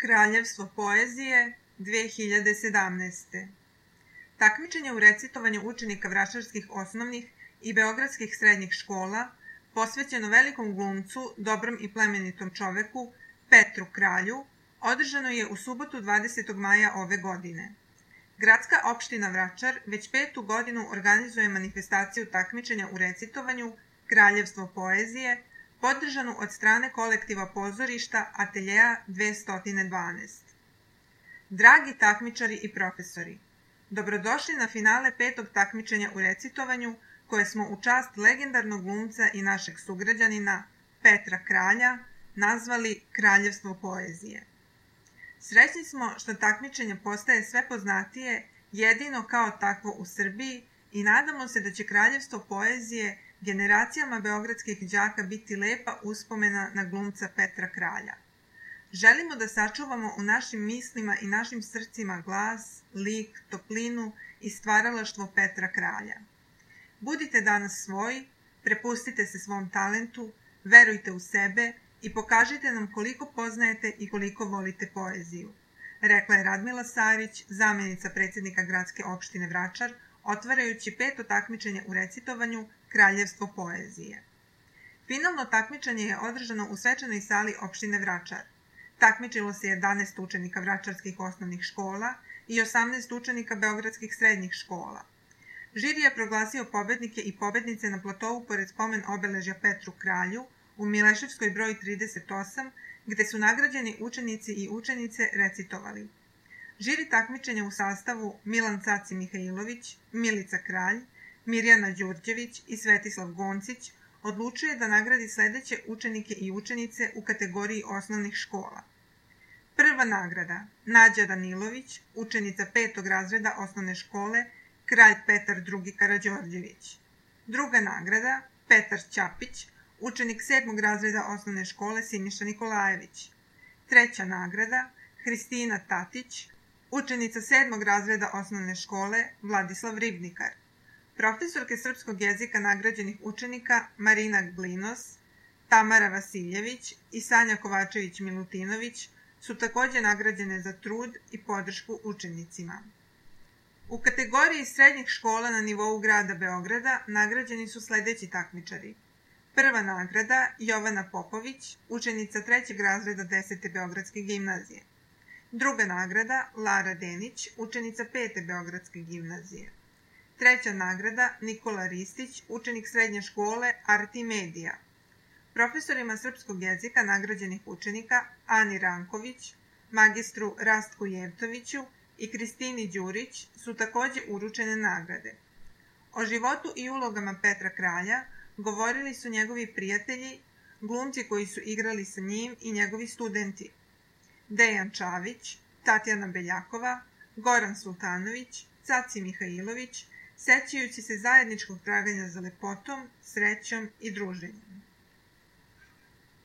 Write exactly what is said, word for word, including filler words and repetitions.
Kraljevstvo poezije dve hiljade sedamnaeste. Takmičenje u recitovanju učenika vračarskih osnovnih i beogradskih srednjih škola, posvećeno velikom glumcu, dobrom i plemenitom čoveku, Petru Kralju, održano je u subotu dvadesetog maja ove godine. Gradska opština Vračar već petu godinu organizuje manifestaciju takmičenja u recitovanju Kraljevstvo poezije, podržanu od strane kolektiva pozorišta Ateljea dvesta dvanaest. Dragi takmičari i profesori, dobrodošli na finale petog takmičenja u recitovanju koje smo u čast legendarnog glumca i našeg sugrađanina Petra Kralja nazvali Kraljevstvo poezije. Srećni smo što takmičenje postaje sve poznatije jedino kao takvo u Srbiji i nadamo se da će Kraljevstvo poezije generacijama beogradskih đaka biti lepa uspomena na glumca Petra Kralja. Želimo da sačuvamo u našim mislima i našim srcima glas, lik, toplinu i stvaralaštvo Petra Kralja. Budite danas svoji, prepustite se svom talentu, verujte u sebe i pokažite nam koliko poznajete i koliko volite poeziju, rekla je Radmila Sarić, zamenica predsjednika gradske opštine Vračar, otvarajući peto takmičenje u recitovanju Kraljevstvo poezije. Finalno takmičenje je održano u svečanoj sali opštine Vračar. Takmičilo se jedanaest učenika vračarskih osnovnih škola i osamnaest učenika beogradskih srednjih škola. Žiri je proglasio pobednike i pobednice na platovu pored spomen obeležja Petru Kralju u Mileševskoj broj trideset osam, gde su nagrađeni učenici i učenice recitovali. Žiri takmičenja u sastavu Milan Caci Mihajlović, Milica Kralj, Mirjana Đurđević i Svetislav Goncić odlučuje da nagradi sledeće učenike i učenice u kategoriji osnovnih škola. Prva nagrada Nađa Danilović, učenica petog razreda osnovne škole Kralj Petar drugi Karađorđević. Druga nagrada Petar Ćapić, učenik sedmog razreda osnovne škole Siniša Nikolajević. Treća nagrada Hristina Tatić, učenica sedmog razreda osnovne škole Vladislav Ribnikar. Profesorke srpskog jezika nagrađenih učenika Marina Glinos, Tamara Vasiljević i Sanja Kovačević-Milutinović su takođe nagrađene za trud i podršku učenicima. U kategoriji srednjih škola na nivou grada Beograda nagrađeni su sledeći takmičari. Prva nagrada Jovana Popović, učenica trećeg razreda desete Beogradske gimnazije. Druga nagrada Lara Denić, učenica pete Beogradske gimnazije. Treća nagrada Nikola Ristić, učenik srednje škole Arti Medija. Profesorima srpskog jezika nagrađenih učenika Ani Ranković, magistru Rastku Jevtoviću i Kristini Đurić su takođe uručene nagrade. O životu i ulogama Petra Kralja govorili su njegovi prijatelji, glumci koji su igrali sa njim i njegovi studenti. Dejan Čavić, Tatjana Beljakova, Goran Sultanović, Caci Mihajlović, sećajući se zajedničkog traganja za lepotom, srećom i druženjem.